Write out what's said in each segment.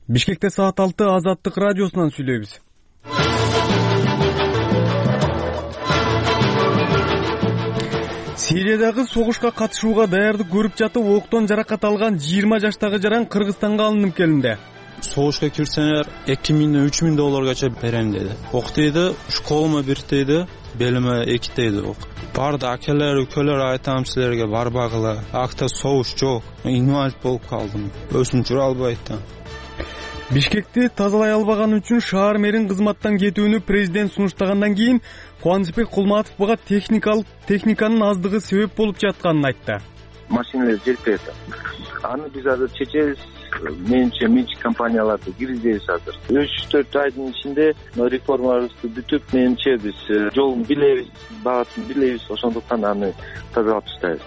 Бишкекте саат 6 Азаттык радиосунан сүйлөйбүз. Сириядагы согушка катышууга даярдык көрүп жатып, октон жаракат алган 20 жаштагы жаран Кыргызстанга алынып келинди. Согушка кирсеңер 2000-3000 долларгача берем деди. Ок дейди, школума бир дейди, белиме 2 дейди ок. Барды акелер, өлкөлөр айтам силерге барбагыла. Акта согуш жок. Инвалид болуп калдым. Өзүм жүрө албайт да. Бишкекти тазалай албаганы үчүн шаар мэрин кызматтан кетүүнү президент сунуштагандан кийин Кубанычбек Кулматов буга техниканын аздыгы себеп болуп жатканын айтты. Машиналар жетпейт. Аны биз азыр чечебиз. Менчи компанияларды киргизебиз азыр. 3-4 айдын ичинде реформабызды бүтүп, менчи биз жолун билебиз, багатын билебиз, ошондуктан аны тазалап таштайбыз.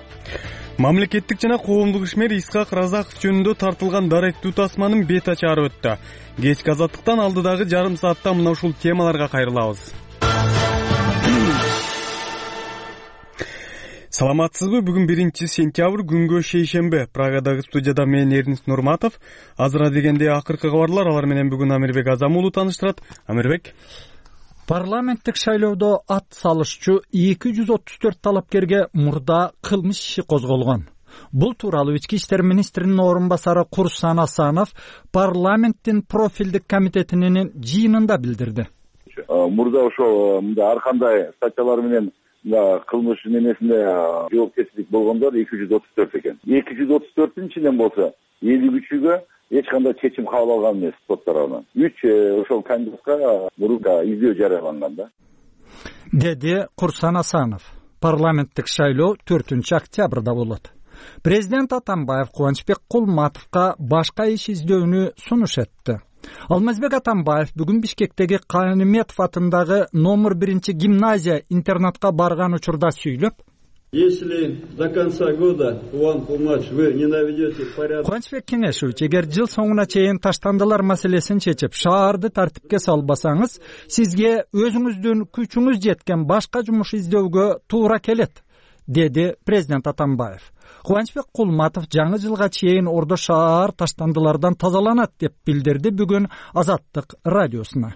Мамлекеттик жана коомдук ишмер Исхак Разаков жөнүндө тартылган даректүү тасманын бет ачары өттү. Кечки Азаттыктан алдыдагы жарым саатта мына ушул темаларга кайрылабыз. Саламатсызбы? Бүгүн 1-сентябрь, күнгө шейшемби. Прагадагы студияда мен Эрнис Нурматов. Азыра дегенде акыркы кабарлар, алар менен бүгүн Амирбек Азамуулу тааныштырат. Амирбек. Парламенттик шайлоодо ат салышчу 234 талапкерге мурда кылмыш иши козголгон. Бул тууралуу Ички иштер министринин орун басары Курсан Асанов парламенттин профилдик комитетинин жыйынында билдирди. Мурда ошол ар кандай статьялар менен кылмыш немесинде жоопкерчилик болгондор 234 экен. 234-түн ичинен болсо 53-үгө эч кандай чечим кабыл алган эмес сот тарабынан. 3 ошол кандидатка мурда издөө жарыяланган да. Деди Курсан Асанов. Парламенттик шайлоо 4-октябрда болот. Президент Атамбаев Кубанычбек Кулматовго башка иш издөөнү сунуш этти. Алмазбек Атамбаев бүгүн Бишкектеги Каниметов атындагы номер 1-гимназия интернатка барган учурда сүйлөп, если до конца года, Кубан Кулматович, вы не наведете порядок. Кубанычбек Кенешевич, эгер жыл соңуна чейин таштандылар маселесин чечип, шаарды тартипке салбасаңыз, сизге өзүңүздүн күчүңүз жеткен башка жумуш издөөгө туура келет, деди президент Атамбаев. Кубанычбек Кулматов жаңы жылга чейин Ордо шаар таштандылардан тазаланат деп билдирди бүгүн Азаттык радиосуна.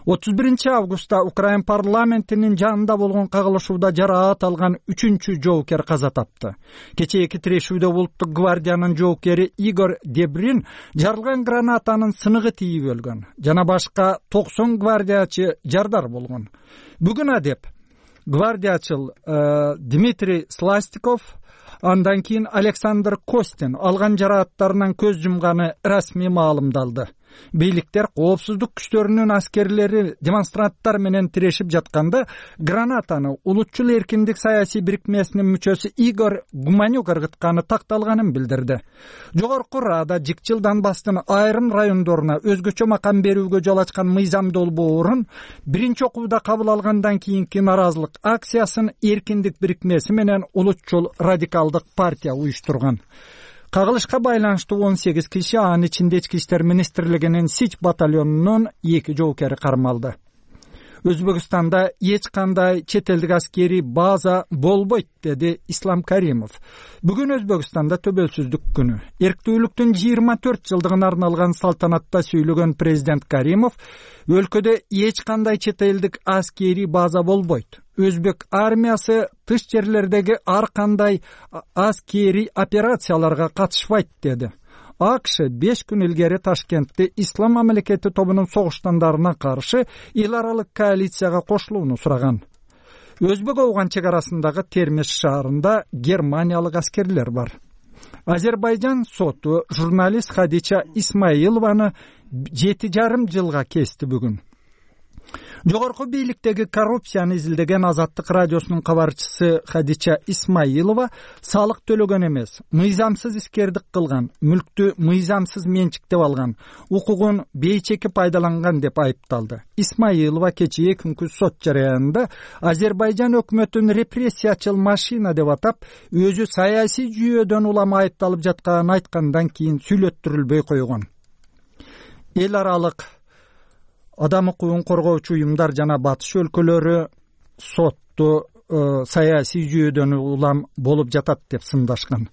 31-августта Украин парламентинин жанында болгон кагылышууда жараат алган 3-чү жоокер каза тапты. Кечээки тирешүүдө улуттук гвардиянын жоокери Игорь Дебрин жарылган гранатанын сыныгы тийип өлгөн. Жана башка 90 гвардиячы жардар болгон. Бүгүн адеп гвардиячыл Дмитрий Сластиков, андан кийин Александр Костин алган жарааттарынан көз жумганы расмий маалымдалды. Бийликтер коопсуздук күчтөрүнүн аскерлери демонстранттар менен тирешип жатканда гранатаны улутчул эркиндик саясий бирикмесинин мүчөсү Игорь Гуманюк ыргытканы такталганын билдирди. Жогорку Рада Жикчил Донбасстын айрым райондоруна өзгөчө макам берүүгө жол ачкан мыйзам долбоорун биринчи окууда кабыл алгандан кийинки наразылык акциясын эркиндик бирикмеси менен улутчул радикалдык партия уюштурган. Кагылышка байланыштуу 18 киши, анын ичинде Ички иштер министрлигинин Сич батальонунун 2 жоокери кармалды. Өзбекстанда эч кандай чет элдик аскерий база болбойт, деди Ислам Каримов. Бүгүн Өзбекстанда төбөлсүздүк күнү. Эрктүүлүктүн 24 жылдыгына арналган салтанатта сүйлөгөн президент Каримов, өлкөдө эч кандай чет элдик аскерий база болбойт. Өзбек армиясы тыш жерлердеги ар кандай аскерий операцияларга катышпайт, деди. АКШ 5 күн илгери Ташкентте Ислам мамлекети тобунун согуштандарына каршы эл аралык коалицияга кошулууну сураган. Өзбек Ауган чек арасындагы Термеш шаарында германиялык аскерлер бар. Азербайжан соту журналист Хадича Исмаилованы 7,5 жылга кести бүгүн. Жогорку бийликтеги коррупцияны изилдеген Азаттык радиосунун кабарчысы Хадича Исмаилова салык төлөгөн эмес, мыйзамсыз искердик кылган, мүлктү мыйзамсыз менчиктеп алган, укугун бейчеки пайдаланган деп айыпталды. Исмаилова кечээ күнкү сот жараянында Азербайжан өкмөтүн репрессиячыл машина деп атап, өзү саясий жүйөдөн улам айыпталып жатканын айткандан кийин сүйлөттүрүлбөй койгон. Эл аралык адам укугун коргоочу уюмдар жана батыш өлкөлөрү сотту саясий жүйөдөн улам болуп жатат деп сындашкан.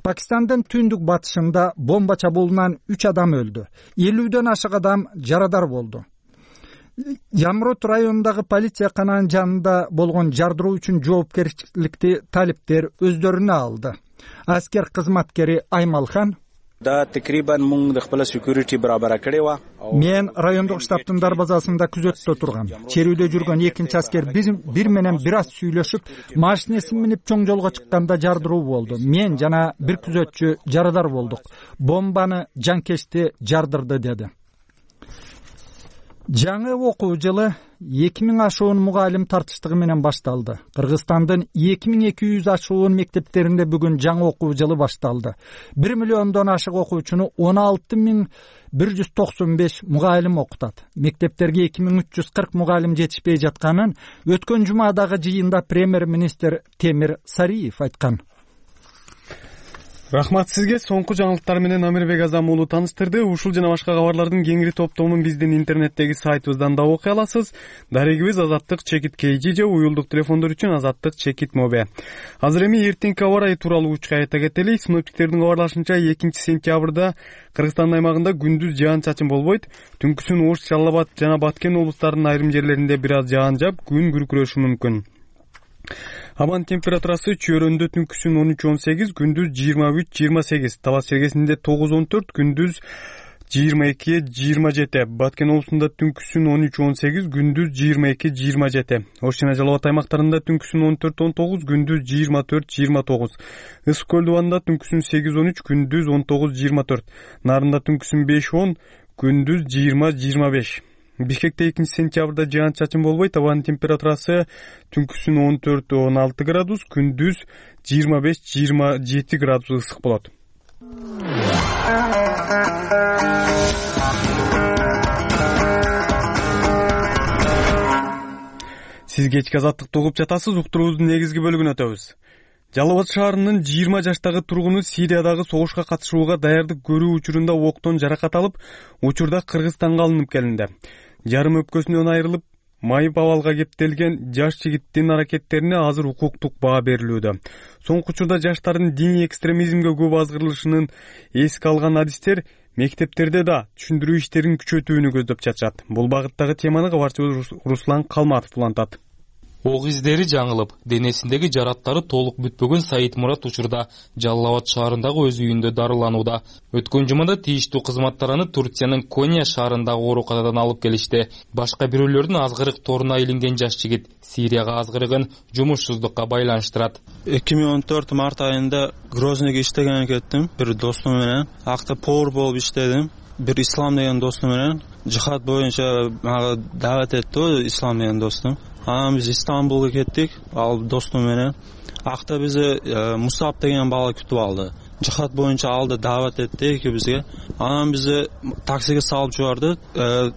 Пакистандын түндүк батышында бомба чабуулунан 3 адам өлдү. 50дөн ашык адам жарадар болду. Ямрут районундагы полиция кананын жанында болгон жардыруу үчүн жоопкерчиликти талиптер өздөрүнө алды. Аскер кызматкери Аймалхан: Мен райондук штабтын дарбазасында күзөттө тургам. Черүүдө жүргөн экинчи аскер бир менен бир аз сүйлөшүп, машинесин минип чоң жолго чыкканда жардыруу болду. Мен жана бир күзөтчү жарадар болдук. Бомбаны жанкечти жардырды, деди. Жаңы окуу жылы 2000 ашуун мугалим тартыштыгы менен башталды. Кыргызстандын 2200 ашуун мектептеринде бүгүн жаңы окуу жылы башталды. 1 миллиондон ашык окуучуну 16195 мугалим окутат. Мектептерге 2340 мугалим жетишпей жатканын өткөн жумадагы жыйында премьер-министр Темир Сариев айткан. Рахмат сизге. Соңку жаңылыктар менен Амирбек Азам уулу тааныштырды. Ушул жана башка кабарлардын кеңири топтомун биздин интернеттеги сайтыбыздан да окуй аласыз. Дарегибиз Азаттык чекит KG же уюлдук телефондор үчүн Азаттык чекит Mobe. Азыр эми эртеңки аба ырайы тууралуу учка айта кетели. Синоптиктердин кабарлашынча 2-сентябрда Кыргызстан аймагында күндүз жаан-чачын болбойт. Түнкүсүн Ош, Жалал Абад жана Баткен облустарынын айрым жерлеринде бир аз жаан жаап, күн күркүрөшү мүмкүн. Абанын температурасы чөйрөндө түнкүсүн 13-18, күндүз 23-28, Талас чергесинде 9-14, күндүз 22-27, Баткен облусунда түнкүсүн 13-18, күндүз 22-27, Ош жана Жалал Абад аймактарында түнкүсүн 14-19, күндүз 24-29, Ысык көл дубанында түнкүсүн 8-13, күндүз 19-24, Нарында түнкүсүн 5-10, күндүз 20-25. Бишкекте 2-сентябрда жаан-чачын болбойт. Абанын температурасы түнкүсүн 14-16 градус, күндүз 25-27 градус ысык болот. Сиз кечки Азаттыкты угуп жатасыз. Уктуруубуздун негизги бөлүгүнө өтөбүз. Жалал Абад шаарынын 20 жаштагы тургуну Сириядагы согушка катышууга даярдык көрүү учурунда октон жаракат алып, учурда Кыргызстанга алынып келинди. Жарым өпкөсүнөн айрылып, майып абалга кептелген жаш жигиттин аракеттерине азыр укуктук баа берилүүдө. Соңку учурда жаштардын диний экстремизмге көп азгырылышынын эске алган адистер мектептерде да түшүндүрүү иштерин күчөтүүнү көздөп жатышат. Бул багыттагы теманы кабарчыбыз Руслан Калматов улантат. Ок издери жаңылып, денесиндеги жараттары толук бүтпөгөн Саид Мурат учурда Жалал Абад шаарындагы өз үйүндө дарыланууда. Өткөн жумада тийиштүү кызматтар аны Турциянын Коня шаарындагы ооруканадан алып келишти. Башка бирөөлөрдүн азгырык торуна илинген жаш жигит Сирияга азгырыгын жумушсуздукка байланыштырат. 2014 март айында Грознойго иштеген кеттим. Бир достум менен акта повар болуп иштедим. Бир Ислам деген достум менен жихад боюнча мага дават этти, Ислам деген достум. Анан биз Истанбулга кеттик, ал достум менен. Акта бизди Мусаб деген бала күтүп алды. Жихад боюнча алды, дават этти экибизге. Анан бизди таксиге салып жибарды.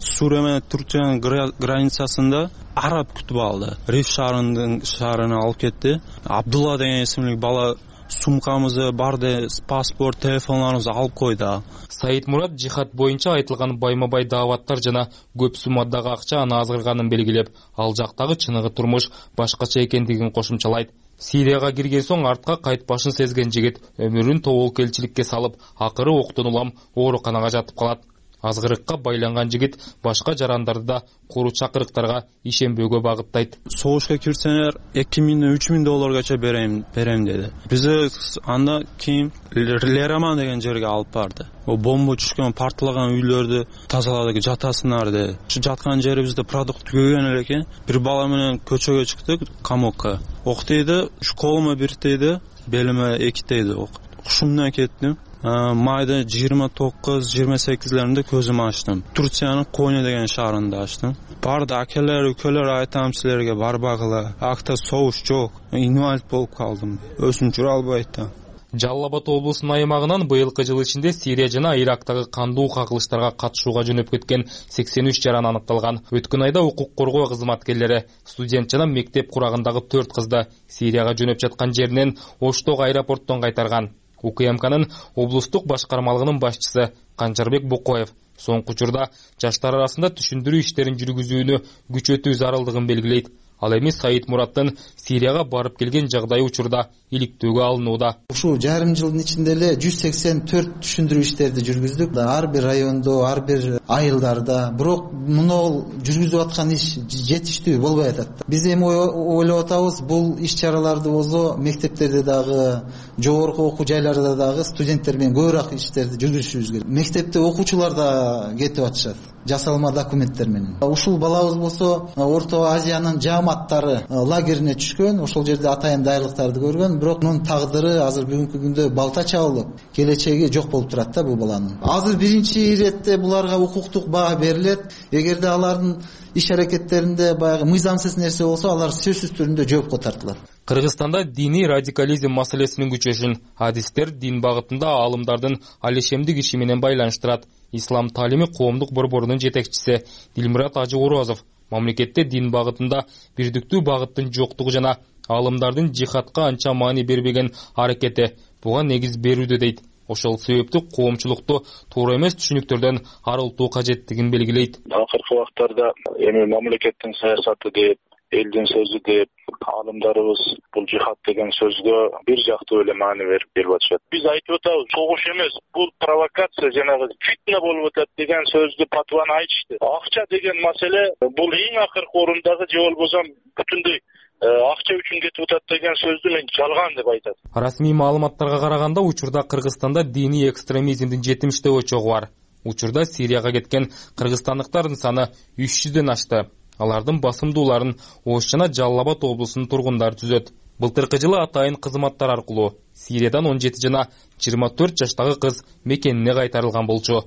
Сурия менен Турциянын границасында араб күтүп алды. Риф шаарына алып кетти. Абдулла деген исимли бала сумкамызды, барды, паспорт, телефонларыбызды алып койду. Саид Мурат жихад боюнча айтылган байма-бай дааваттар жана көп суммадагы акча аны азгырганын белгилеп, ал жактагы чыныгы турмуш башкача экендигин кошумчалайт. Сирияга кирген соң артка кайтпашын сезген жигит өмүрүн тоболкелчиликке салып, акыры октон улам ооруканага жатып калат. Азгырыкка байланган жигит башка жарандарды да куру чакырыктарга ишенбөөгө багыттайт. Согушка кирсеңер 2000-3000 долларгача берем деди. Бизди анда кийин Лераман деген жерге алып барды. О бомба түшкөн, парталаган үйлөрдү тазаладык, жатасыңар деди. Ушу жаткан жерибизде продукт көгөн эле экен. Бир бала менен көчөгө чыктык, камокко. Ок тийди, колума бир тийди, белиме 2 тийди ок. Ушумдан кеттим. Майда 29-28-леринде көзүмү ачтым. Турциянын Коня деген шаарында ачтым. Барды акелер, өлкөлөр айтам силерге барбагыла. Акта согуш жок. Инвалид болуп калдым. Өзүм жүрө албайт да. Жалал Абад облусунун аймагынан быйылкы жыл ичинде Сирия жана Ирактагы кандуу кагылыштарга катышууга жөнөп кеткен 83 жаран аныкталган. Өткөн айда укук коргоо кызматкерлери студент жана мектеп курагындагы 4 кызды Сирияга жөнөп жаткан жеринен Оштогу аэропорттон кайтарган. УКМКнын облустук башкармалыгынын башчысы Канчарбек Букоев соңку учурда жаштар арасында түшүндүрүү иштерин жүргүзүүнү күчөтүү зарылдыгын белгилейт. Ал эми Саид Мураттын Сирияга барып келген жагдайы учурда иликтөөгө алынууда. Ушул жарым жылдын ичинде эле 184 түшүндүрүү иштерди жүргүздүк. Ар бир райондо, ар бир айылдарда. Бирок муну жүргүзүп аткан иш жетиштүү болбой атат. Биз эми ойлоп атабыз, бул иш-чараларды болсо мектептерде дагы, жогорку окуу жайларда дагы студенттер менен көбүрөөк иштерди жүргүзүшүбүз керек. Мектепте окуучулар да кетип атышат жасалма документтер менен. Ушул балабыз болсо Орто Азиянын жааматтары лагерине түшкөн, ошол жерде атайын даярлыктарды көргөн, бирок мунун тагдыры азыр бүгүнкү күндө балта чабылып, келечеги жок болуп турат да бул баланын. Азыр биринчи иретте буларга укуктук баа берилет. Эгерде алардын иш-аракеттеринде баягы мыйзамсыз нерсе болсо, алар сөзсүз түрүндө жоопко тартылат. Кыргызстанда диний радикализм маселесинин күчөшүн адистер дин багытында аалымдардын алешемдик иши менен байланыштырат. Ислам таалими коомдук борборунун жетекчиси Дилмурат Ажы Орозов мамлекетте дин багытында бирдиктүү багыттын жоктугу жана аалымдардын жихадка анча маани бербеген аракети буга негиз берүүдө дейт. Ошол себептүү коомчулукту туура эмес түшүнүктөрдөн арылтуу кажеттигин белгилейт. Акыркы убактарда эми мамлекеттин саясаты деп, элдин сөзү деп, аалымдарыбыз бул жихад деген сөзгө бир жактуу эле маани берип атышат. Биз айтып атабыз, согуш эмес, бул провокация, жанагы фитна болуп атат деген сөздү патваны айтышты. Акча деген маселе бул эң акыркы орундагы, же болбосо бүтүндөй акча үчүн кетип атат деген сөздү мен жалган деп айтат. Расмий маалыматтарга караганда учурда Кыргызстанда диний экстремизмдин 70 очогу бар. Учурда Сирияга кеткен кыргызстандыктардын саны 300дөн ашты. Алардын басымдууларын Ош жана Жалал Абад облусунун тургундары түзөт. Былтыркы жылы атайын кызматтар аркылуу Сириядан 17 жана 24 жаштагы кыз мекенине кайтарылган болчу.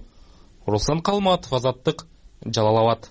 Руслан Калматов, Азаттык, Жалал Абад.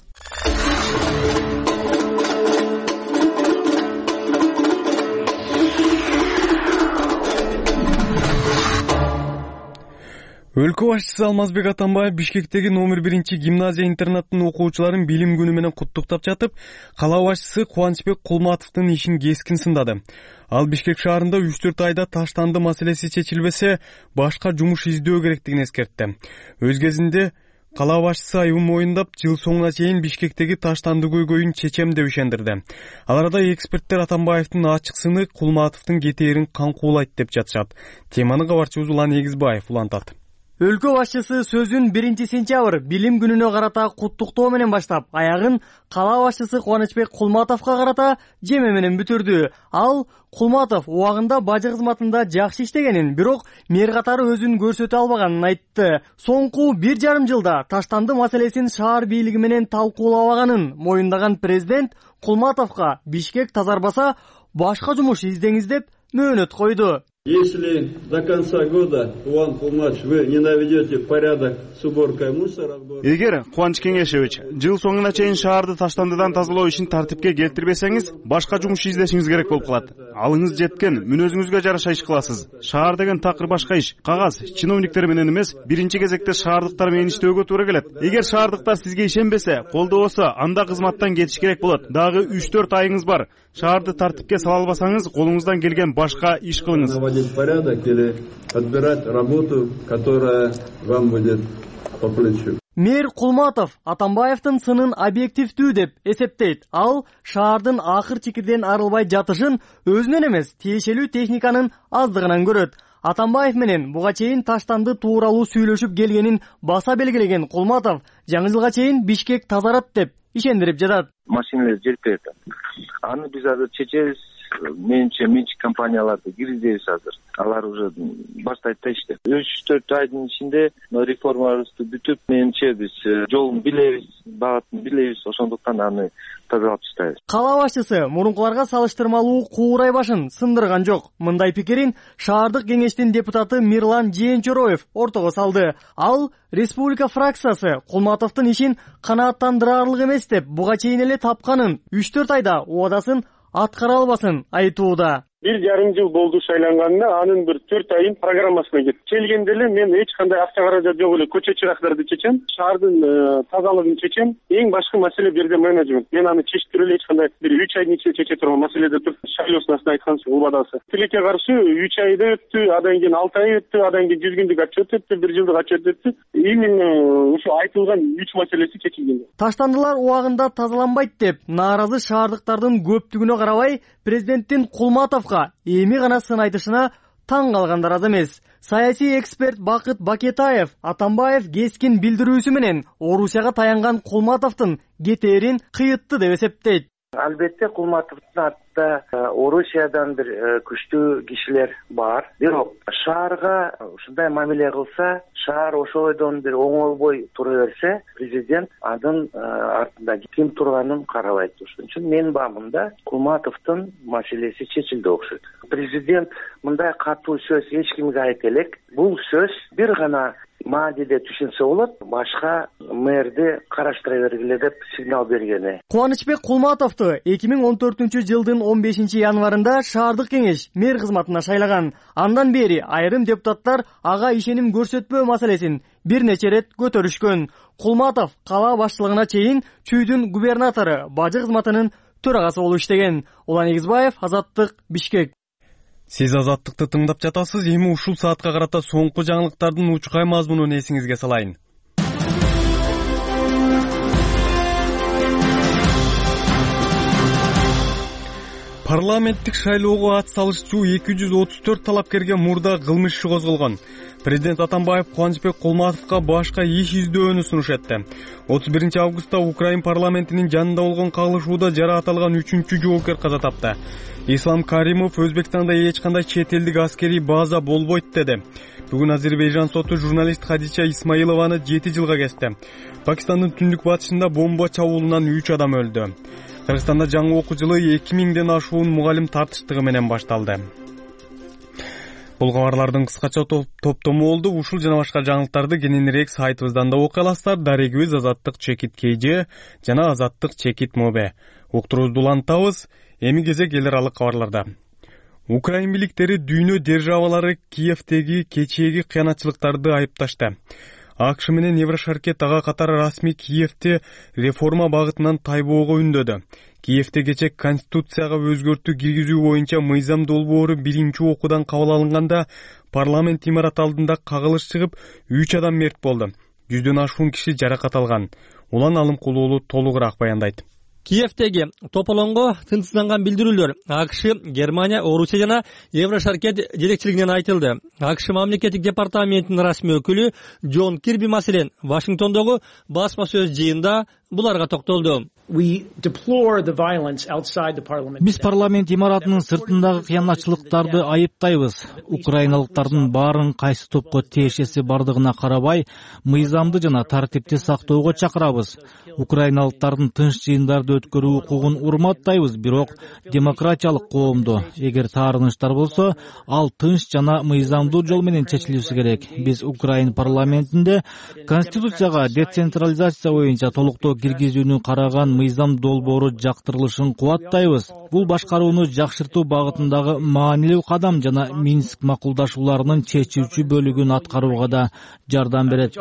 Өлкө башчысы Алмазбек Атамбаев Бишкектеги номер 1 гимназия интернаттын окуучуларын билим күнү менен куттуктап жатып, кала башчысы Кубанычбек Кулматовдун ишин кескин сындады. Ал Бишкек шаарында 3-4 айда таштанды маселеси чечилбесе, башка жумуш издөө керектигин эскертти. Өз кезинде кала башчысы айыбын моюндап, жыл соңуна чейин Бишкектеги таштанды көйгөйүн чечем деп ишендирди. Ал арада эксперттер Атамбаевдин ачык сыны Кулматовдун кетээрин каңкуулайт деп жатышат. Теманы кабарчыбыз Улан Эгизбаев улантат. Өлкө башчысы сөзүн 1 сентябрь билим күнүнө карата куттуктоо менен баштап, аягын кала башчысы Кубанычбек Кулматовго карата жеме менен бүтүрдү. Ал Кулматов убагында бажы кызматында жакшы иштегенин, бирок мэр катары өзүн көрсөтө албаганын айтты. Соңку 1,5 жылда таштанды маселесин шаар бийлиги менен талкуулабаганын моюндаган президент Кулматовго Бишкек тазарбаса, башка жумуш издеңиз деп мөөнөт койду. Если до конца года, Улан Кулматович, вы не наведете порядок с уборкой мусора... Эгер Кубаныч Кеңешевич жыл соңуна чейин шаарды таштандыдан тазалоо ишин тартипке келтирбесеңиз, башка жумуш издешиңиз керек болуп калат. Алыңыз жеткен, мүнөзүңүзгө жараша иш кыласыз. Шаар деген такыр башка иш. Кагаз, чиновниктер менен эмес, биринчи кезекте шаардыктар менен иштөөгө туура келет. Эгер шаардыктар сизге ишенбесе, колдобосо, анда кызматтан кетиш керек болот. Дагы 3-4 айыңыз бар. Шаарды тартипке сала албасаңыз, колуңуздан келген башка иш кылыңыз. Наводить порядок или отбирать работу, которая вам будет по плечу. Мэр Кулматов Атамбаевдин сынын объективдүү деп эсептейт. Ал шаардын акыр чекирден арылбай жатышын өзүнөн эмес, тиешелүү техниканын аздыгынан көрөт. Атамбаев менен буга чейин таштанды тууралуу сүйлөшүп келгенин баса белгилеген Кулматов жаңы жылга чейин Бишкек тазарат деп ишендирип жатат. Машиналар жетпей атат. Аны биз азыр чечебиз. Менче компанияларды киргизебиз азыр. Алар уже баштайт да ишти. 3-4 айдын ичинде реформаларды бүтүп, менче биз жолун билебиз, багытын билебиз, ошондуктан аны тазалап таштайбыз. Кала башчысы мурункуларга салыштырмалуу куурай башын сындырган жок. Мындай пикирин шаардык кеңештин депутаты Мирлан Жээнчороев ортого салды. Ал республика фракциясы Кулматовдун ишин канааттандырарлык эмес деп буга чейин эле тапканын, 3-4 айда убадасын аткара албасын айтууда. 1,5 жыл болду шайланганына, анын бир 4 айын программасына кетти. Келгенде эле мен эч кандай акча каражат жок эле көчө чырактарды чечем, шаардын тазалыгын чечем. Эң башкы маселе берде менеджмент. Мен аны чечтире эле эч кандай бир 3 айдын ичинде чече турган маселеде туруп, шайлоосуна айтканча убадасы. Тилекке каршы 3 айда өттү, адан кийин 6 ай өттү, адан кийин 100 күндүк отчет өттү, 1 жылдык отчет өттү. Именно ушу айтылган 3 маселеси чечилген. Таштандылар убагында тазаланбайт деп нааразы шаардыктардын көптүгүнө карабай, президенттин Кулматовго эми гана сын айтышына таң калгандар аз эмес. Саясий эксперт Бакыт Бакетаев Атамбаев кескин билдирүүсү менен Орусияга таянган Кулматовдун кетээрин кыйытты деп эсептейт. Албетте Кулматовдун артында Орусиядан бир күчтүү кишилер бар. Бирок шаарга ушундай мамиле кылса, шаар ошойдон бир оңолбой тура берсе, президент анын артында ким турганын карабайт. Ошон үчүн менин баамымда Кулматовдун маселеси чечилди окшойт. Президент мындай катуу сөз эч кимге айта элек. Бул сөз бир гана мааниде түшүнсө болот, башка мэрди караштыра бергиле деп сигнал бергени. Кубанычбек Кулматовду 2014-жылдын 15 январында шаардык кеңеш мэр кызматына шайлаган. Андан бери айрым депутаттар ага ишеним көрсөтпөө маселесин бир нече рет көтөрүшкөн. Кулматов кала башчылыгына чейин Чүйдүн губернатору бажы кызматынын төрагасы болуп иштеген. Улан Эгизбаев, Азаттык, Бишкек. Сиз Азаттыкты тыңдап жатасыз. Эми ушул саатка карата соңку жаңылыктардын учкай мазмунун эсиңизге салайын. Парламенттик шайлоого ат салышчу 234 талапкерге мурда кылмыш иши козголгон. Президент Атамбаев Кубанычбек Кулматовго башка иш издөөнү сунуш этти. 31 августта Украин парламентинин жанында болгон кагылышууда жара аталган 3-чү жоокер каза тапты. Ислам Каримов Өзбекстанда эч кандай чет элдик аскерий база болбойт деди. Бүгүн Азербайжан соту журналист Хадича Исмаилованы 7 жылга кести. Пакистандын түндүк батышында бомба чабуулунан 3 адам өлдү. Кыргызстанда жаңы окуу жылы 2000ден ашуун мугалим тартыштыгы менен башталды. Бул кабарлардын кыскача топтому болду. Ушул жана башка жаңылыктарды кененирээк сайтыбыздан да окуй аласыздар. Дарегибиз Азаттык чекит KG жана Азаттык чекит Mobe. Уктуруубузду улантабыз. Эми кезек эл аралык кабарларда. Украин бийликтери дүйнө державалары Киевдеги кечээги кыянатчылыктарды айыпташты. АКШ менен Еврошаркет ага катары расмий Киевде реформа багытынан тайбоого үндөдү. Киевде кече Конституцияга өзгөртүү киргизүү боюнча мыйзам долбоору биринчи окуудан кабыл алынганда парламент имараты алдында кагылыш чыгып 3 адам мерт болду. 100дөн ашуун киши жаракат алган. Улан Алымкулуу уулу толугураак баяндайт. Киевдеги тополонго тынчсызданган билдирүүлөр АКШ, Германия, Орусия жана Еврошаркет жетекчилигинен айтылды. АКШ мамлекеттик департаментинин расмий өкүлү Джон Кирби маселен Вашингтондогу басма сөз жыйында буларга токтолду. Биз парламент имаратынын сыртындагы кыянатчылыктарды айыптайбыз. Украиналыктардын баарын кайсы топко тиешеси бардыгына карабай, мыйзамды жана тартипти сактоого чакырабыз. Украиналыктардын тынч жыйындарды өткөрүү укугун урматтайбыз, бирок демократиялык коомду эгер таарыныштар болсо, ал тынч жана мыйзамдуу жол менен чечилиши керек. Биз Украин парламентинде Конституцияга децентрализация боюнча толуктоо киргизүүнү караган мыйзам долбоору жактырылышын кубаттайбыз. Бул башкарууну жакшыртуу багытындагы маанилүү кадам жана Минск макулдашууларынын чечүүчү бөлүгүн аткарууга да жардам берет.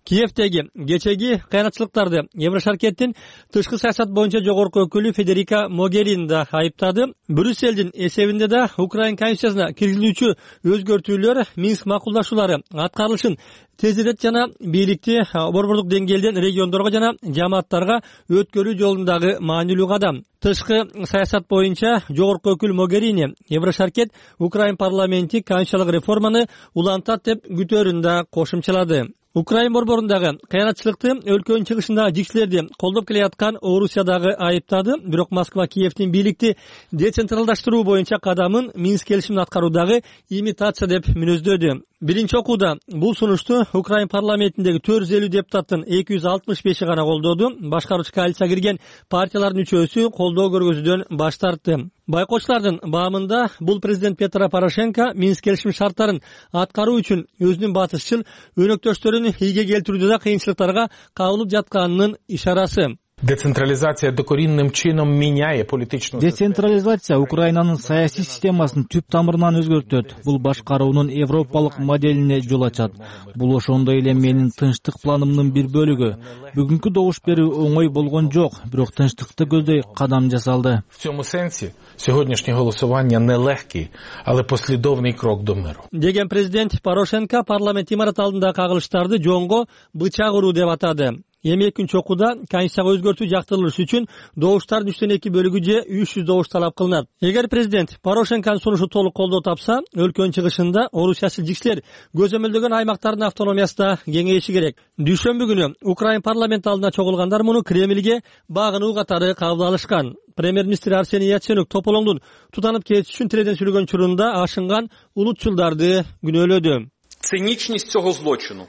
Киевдеги кечеги кыянатчылыктарды Еврошаркеттин тышкы саясат боюнча жогорку өкүлү Федерика Могерини да айыптады. Брюссельдин эсебинде да Украин конституциясына киргизилүүчү өзгөртүүлөр Минск макулдашуулары аткарылышын тезирет жана бийликти борбордук деңгээлден региондорго жана жамааттарга өткөрүү жолундагы маанилүү кадам. Тышкы саясат боюнча жогорку өкүл Могерини Еврошаркет Украин парламенти конституциялык реформаны улантат деп күтөөрүн да кошумчалады. Украин борборундагы кыянатчылыкты өлкөнүн чыгышындагы жикчилерди колдоп келаткан Орусиядагы айыптады. Бирок Москва Киевдин бийликти децентралдаштыруу боюнча кадамын Минск келишимин аткаруудагы имитация деп мүнөздөдү. Биринчи окууда бул сунушту Украин парламентиндеги 450 депутаттын 265 гана колдоду. Башкаруучу коалицияга кирген партиялардын үчөөсү колдоо көргөзүүдөн баш тартты. Байкоочулардын баамында бул президент Петро Порошенко Минск келишим шарттарын аткаруу үчүн өзүнүн батышчыл өнөктөштөрүн ийге келтирүүдө да кыйынчылыктарга кабылып жатканынын ишарасы. Децентрализация докоренным чином меняет политическую. Децентрализация Украинанын саясий системасын түп тамырынан өзгөртөт. Бул башкаруунун европалык моделине жол ачат. Бул ошондой эле менин тынчтык планымдын бир бөлүгү. Бүгүнкү добуш берүү оңой болгон жок, бирок тынчтыкты көздөй кадам жасалды. В цьому сенсі сьогоднішнє голосування нелегкий, але послідовний крок до миру. Деген президент Порошенко парламент имараты алдындагы кагылыштарды жоңго бычак уруу деп атады. Эми экинчи окууда конституцияга өзгөртүү жактырылыш үчүн добуштардын 3/2 бөлүгү же 300 добуш талап кылынат. Эгер президент Порошенконун сунушу толук колдоо тапса, өлкөнүн чыгышында орусиячыл жиксилер көзөмөлдөгөн аймактардын автономиясы да кеңейиши керек. Дүйшөмбү күнү Украин парламент алдына чогулгандар муну Кремльге багынуу катары кабыл алышкан. Премьер-министр Арсений Яценюк Тополоңдун тутанып кетиши үчүн тиреден сүйлөгөн учурунда ашынган улутчулдарды күнөөлөдү. Циничность цього злочину.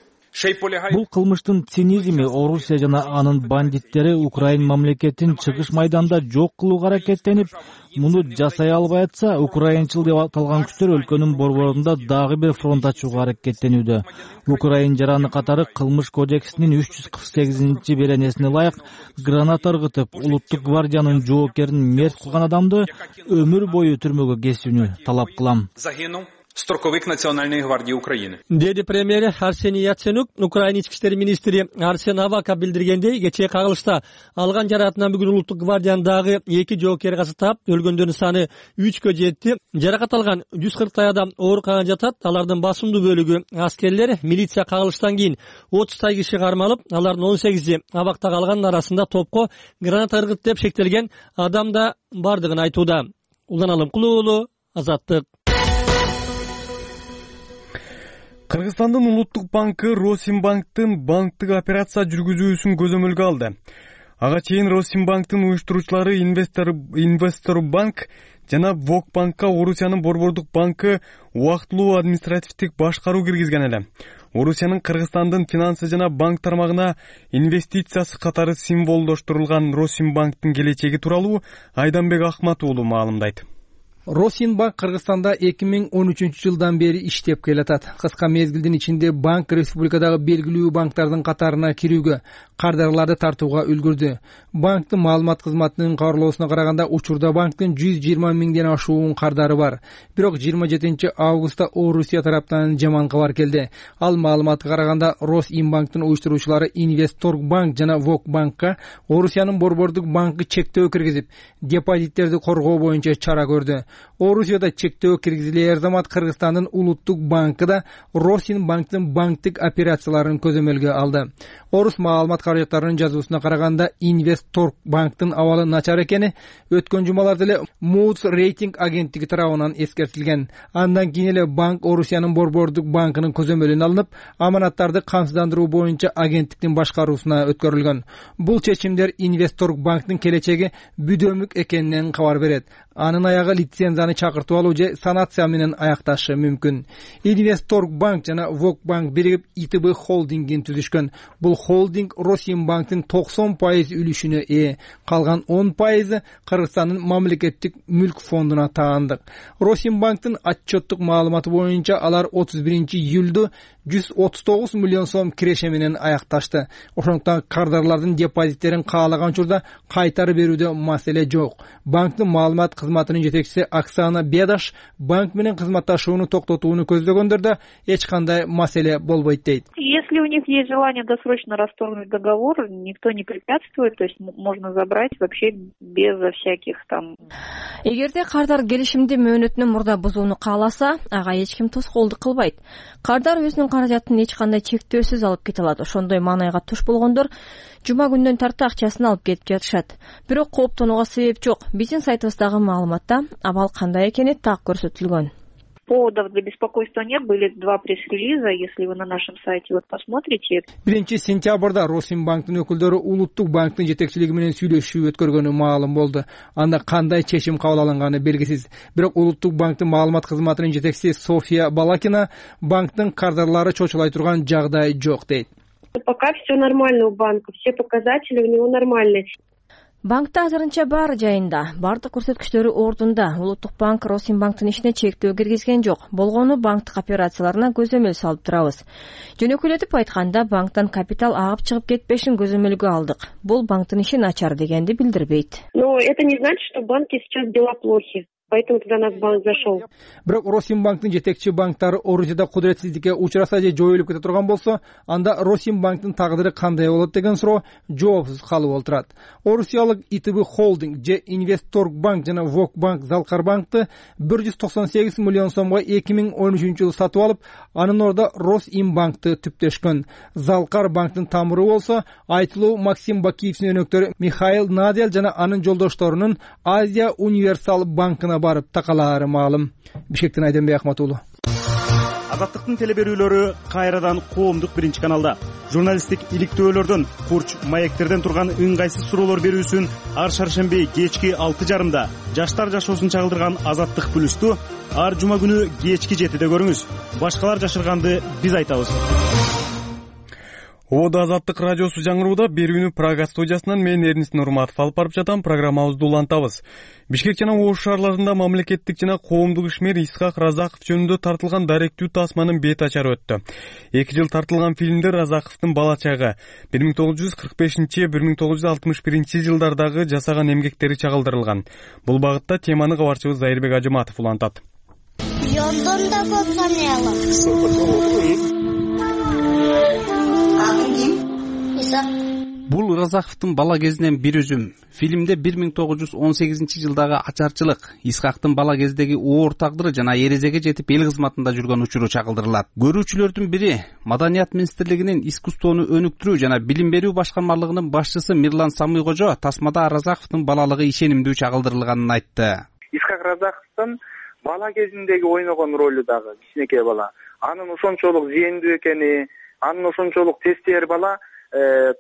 Бул кылмыштын цинизми Орусия жана анын бандиттери Украин мамлекетин чыгыш майданда жок кылууга аракеттенип, муну жасай албай атса, украинчыл деп аталган күчтөр өлкөнүн борборунда дагы бир фронт ачууга аракеттенүүдө. Украин жараны катары кылмыш кодексинин 348 беренесине ылайык граната ыргытып, улуттук гвардиянын жоокерин мерт кылган адамды өмүр бою түрмөгө кесүүнү талап кылам. Строковик Национальной гвардии Украины. Деди премьер Арсений Яценюк Украин ички иштер министри Арсен Аваков билдиргендей, кечээ кагылышта алган жараатынан бүгүн улуттук гвардиянын 2 жоокери каза таап, өлгөндөрдүн саны 3кө жетти. Жаракат алган 140 адам ооруканада жатат. Алардын басымдуу бөлүгү аскерлер. Милиция кагылыштан кийин 30 киши кармалып, алардын 18и абакта калгандын арасында топко граната ыргыт деп шектелген адам да бардыгын айтууда. Улан Алымкулуу уулу, Азаттык. Кыргызстандын улуттук банкы Росимбанктын банктык операция жүргүзүүсүн көзөмөлгө алды. Ага чейин Росимбанктын уюштуруучулары Инвесторбанк жана Вокбанкка Орусиянын борбордук банкы убактылуу административдик башкаруу киргизген эле. Орусиянын Кыргызстандын финансы жана банк тармагына инвестициясы катары символдоштурулган Росимбанктын келечеги тууралуу Айданбек Ахмат уулу маалымдайт. Росинбанк Кыргызстанда 2013-жылдан бери иштеп келатат. Кыска мезгилдин ичинде банк республикадагы белгилүү банктардын катарына кирүүгө, кардарларды тартууга үлгүрдү. Банктын маалымат кызматынын кабарлоосуна караганда, учурда банктын 120 миңден ашуун кардары бар. Бирок 27 августта Орусия тараптан жаман кабар келди. Ал маалыматка караганда, Росимбанктын уюштуруучулары Инвесторбанк жана Вокбанкка Орусиянын борбордук банкы чектөө киргизип, депозиттерди коргоо боюнча чара көрдү. Орусияда чектөө киргизилер замат Кыргызстандын улуттук банкы да Росинбанктын банктык операцияларын көзөмөлгө алды. Орус маалымат каражаттарынын жазуусуна караганда, Инвесторбанктын абалы начар экени өткөн жумаларда эле Moody's рейтинг агенттиги тарабынан эскертилген. Андан кийин эле банк Орусиянын борбордук банкынын көзөмөлүнө алынып, аманаттарды камсыздандыруу боюнча агенттиктин башкаруусуна өткөрүлгөн. Бул чечимдер Инвесторбанктын келечеги бүдөмүк экенинен кабар берет. Анын аягы лицензияны чакыртып алуу же санация менен аякташы мүмкүн. Инвесторбанк жана Вокбанк биригип ИТБ холдингин түзүшкөн. Бул холдинг Росимбанктын 90% үлүшүнө ээ. Калган 10% Кыргызстандын мамлекеттик мүлк фондуна таандык. Росимбанктын отчеттук маалыматы боюнча алар 31-июлда 139 миллион сом киреше менен аякташты. Ошондуктан кардарлардын депозиттерин каалаган учурда кайтарып берүүдө маселе жок. Банктын маалымат кызматынын жетекчиси Оксана Бедаш банк менен кызматташууну токтотууну көздөгөндөрдө эч кандай маселе болбойт дейт. Если у них есть желание досрочно расторгнуть договор, никто не препятствует, то есть можно забрать вообще без всяких там. Эгерде кардар келишимди мөөнөтүнөн мурда бузууну кааласа, ага эч ким тоскоолдук кылбайт. Кардар өзүнүн каражатын эч кандай чектөөсүз алып кете алат. Ошондой маанайга туш болгондор жума күндөн тарта акчасын алып кетип жатышат. Бирок кооптонууга себеп жок. Биздин сайтыбыздагы маалыматта абал кандай экени так көрсөтүлгөн. Поводов для беспокойства нет, были 2 пресс-релиза, если вы на нашем сайте вот посмотрите. 1 сентябрда Росимбанктын өкүлдөрү улуттук банктын жетекчилиги менен сүйлөшүү өткөргөнү маалым болду. Анда кандай чечим кабыл алынганы белгисиз. Бирок улуттук банктын маалымат кызматынын жетекчиси София Балакина банктын кардарлары чочулай турган жагдай жок дейт. Пока все нормально у банка, все показатели у него нормальные. Банкта азырынча баары жайында, бардык көрсөткүчтөрү ордунда. Улуттук банк Росимбанктын ишине чектөө киргизген жок. Болгону банктык операцияларына көзөмөл салып турабыз. Жөнөкүйлөтүп айтканда, банктан капитал агып чыгып кетпешин көзөмөлгө алдык. Бул банктын иши начар дегенди билдирбейт. Но это не значит, что в банке сейчас дела плохи. Поэтому туда нас банк зашел. Бирок Росимбанктын жетекчи банктары оружияда кудуретсиздикке учураса же жоюлуп кете турган болсо, анда Росимбанктын тагдыры кандай болот деген суроо жоопсуз калып отурат. Орусиялык ИТБ Холдинг же Инвестторгбанк жана Вокбанк Залкарбанкты 198 миллион сомго 2013-жылы сатып алып, анын ордуна Росимбанкты түптөшкөн. Залкарбанктын тамыры болсо айтылуу Максим Бакиевдин өнөктөрү Михаил Надель жана анын жолдошторунун Азия Универсал банкына барып такалаары маалым. Бишкектен Айденбек Ахматуулу. Азаттыктын телеберүүлөрү кайрадан коомдук биринчи каналда. Журналисттик иликтөөлөрдөн, курч маектерден турган ыңгайсыз суроолор берүүсүн ар шаршемби кечки 6:30 жаштар жашоосун чагылдырган Азаттык плюсту ар жума күнү кечки 7-де көрүңүз. Башкалар жашырганды биз айтабыз. Ободо Азаттык радиосу жаңырууда берүүнү Прага студиясынан мен Эрнис Нурматов алып барып жатам. Программабызды улантабыз. Бишкек жана Ош шаарларында мамлекеттик жана коомдук ишмер Исхак Разаков жөнүндө тартылган даректүү тасманын бет ачары өттү. 2 жыл тартылган фильмде Разаковдун бала чагы 1945-1961 жылдардагы жасаган эмгектери чагылдырылган. Бул багытта теманы кабарчыбыз Зайырбек Ажыматов улантат. Бул Разаковдун бала кезинен бир үзүм. Фильмде 1918-жылдагы ачарчылык, Исхактын бала кездеги оор тагдыры жана эрезеге жетип эл кызматында жүргөн учуру чагылдырылат. Көрүүчүлөрдүн бири Маданият министрлигинин искусствону өнүктүрүү жана билим берүү башкармалыгынын башчысы Мирлан Самыйкожо тасмада Разаковдун балалыгы ишенимдүү чагылдырылганын айтты. Исхак Разаковдун бала кезиндеги ойногон ролу дагы кичинекей бала. Анын ошончолук зээндүү экени, анын ошончолук тестер бала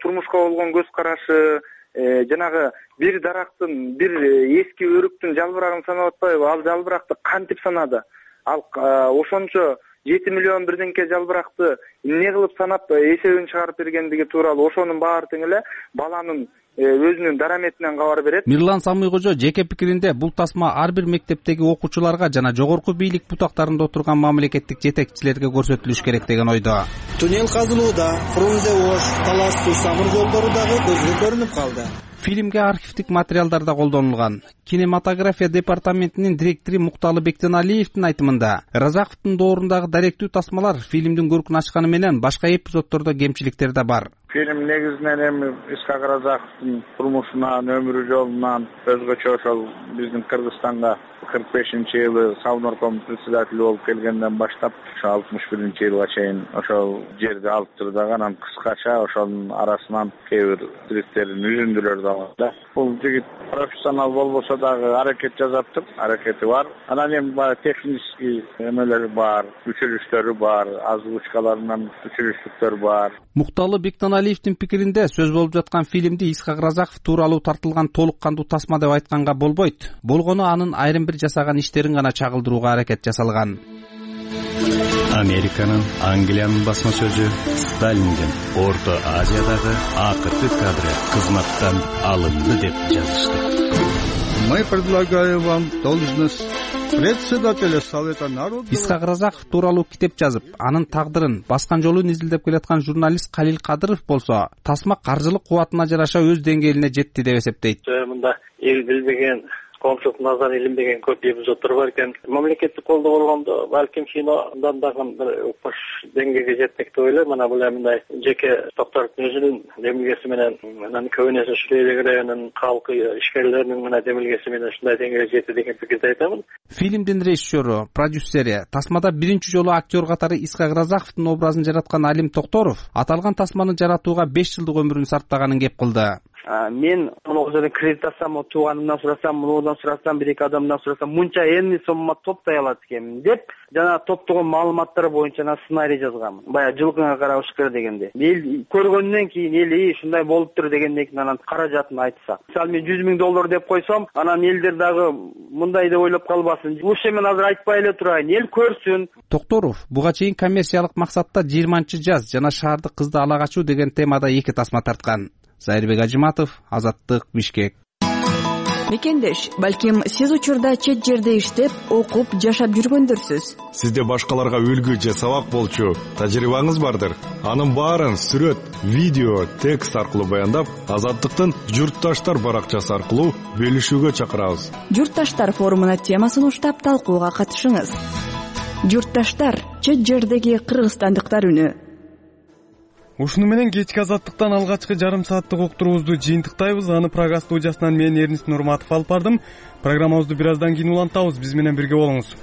турмушка болгон көз карашы, жанагы бир дарактын, бир эски өрүктүн жалбырагын санап атпайбы? Ал жалбыракты кантип санады? Ал ошончо 7 миллион бирденке жалбыракты эмне кылып санап эсебин чыгарып бергендиги тууралуу ошонун баардыгын эле баланын өзүнүн дараметинен кабар берет. Мирлан Самыйкожо жеке пикиринде бул тасма ар бир мектептеги окуучуларга жана жогорку бийлик бутактарында отурган мамлекеттик жетекчилерге көрсөтүлүш керек деген ойдо. Туннел казылууда, Фрунзе-Ош, Талас-Суу самыр жолдору дагы көзгө көрүнүп калды. Фильмге архивдик материалдар да колдонулган. Кинематография департаментинин директору Мукталы Бектеналиевдин айтымында, Разаковдун доорундагы даректүү тасмалар фильмдин көркүн ачканы менен башка эпизоддордо кемчиликтер да бар. Фильм негизинен эми Исхак Разаковдун турмушунан, өмүрү жолунан өзгөчө ошол биздин Кыргызстанга 45-жылы Савнорком председатели болуп келгенден баштап 61-жылга чейин ошол жерди алып турдаган, анан кыскача ошонун арасынан кээ бир тириктерин үзүндүлөр да бар. Бул жигит профессионал болбосо дагы аракет жасаптыр, аракети бар. Анан эми баягы технический эмелери бар, өчүрүштөрү бар, озвучкаларынан өчүрүштүктөр бар. Мукталы Бектеналиевдин пикиринде сөз болуп жаткан фильмди Исхак Разаков тууралуу тартылган толук кандуу тасма деп айтканга болбойт. Болгону анын айрым бир жасаган иштерин гана чагылдырууга аракет жасалган. Американын, Англиянын басма сөзү Сталиндин Орто Азиядагы акыркы кадры кызматтан алынды деп жазышты. Мы предлагаем вам должность председателя Совета народа. Исхак Разаков тууралуу китеп жазып, анын тагдырын, баскан жолун изилдеп келаткан журналист Калил Кадыров болсо, тасма каржылык кубатына жараша өз деңгээлине жетти деп эсептейт. Мында эл билбеген, коомчулуктун назарын илинбеген көп эпизоддор бар экен. Мамлекеттик колдоо болгондо балким кинодан дагы бир укмуш деңгээлге жетмек деп ойлойм. Мына бул мындай жеке Токторовдун өзүнүн демилгеси менен, анан көбүнесе Шүлейлек районунун калкы ишкерлеринин мына демилгеси менен ушундай деңгээлге жетти деген пикирди айтамын. Фильмдин режиссеру, продюсери, тасмада биринчи жолу актер катары Исхак Разаковдун образын жараткан Алим Токторов аталган тасманы жаратууга 5 жылдык өмүрүн сарптаганын кеп кылды. Мен муну жерден кредитасам, тууганымдан сурасам, мунудан сурасам, бир-эки адамдан сурасам, мынча эмне сомма топтой алат экенмин деп, жана топтогон маалыматтар боюнча сценарий жазгам. Баягы жылкыңа карап ушкер дегенде. Эл көргөндөн кийин эл ушундай болуптур дегенден кийин анан каражатын айтса. Мисалы мен $100,000 деп койсом, анан элдер дагы мындай деп ойлоп калбасын. Ушул мен азыр айтпай эле турайын, эл көрсүн. Токторов буга чейин коммерциялык максатта 20-жаз жана шаарды кызды ала качуу деген темада 2 тасма тарткан. Зайырбек Ажыматов, Азаттык, Бишкек. мекендеш, балким сиз учурда чет жерде иштеп, окуп, жашап жүргөндүрсүз. Сизде башкаларга үлгү же сабак болчу тажрыйбаңыз бардыр. Анын баарын сүрөт, видео, текст аркылуу баяндап, Азаттыктын Журтташтар баракчасы аркылуу бөлүшүүгө чакырабыз. Журтташтар форумуна темасын уштап талкууга катышыңыз. Журтташтар, чет жердеги кыргызстандыктар үнү. Ушуну менен кечки Азаттыктан алгачкы жарым сааттык уктуруубузду жыйынтыктайбыз. Аны Прага студиясынан мен Эрнис Нурматов алып бардым. Программабызды бир аздан кийин улантабыз. Биз менен бирге болуңуз.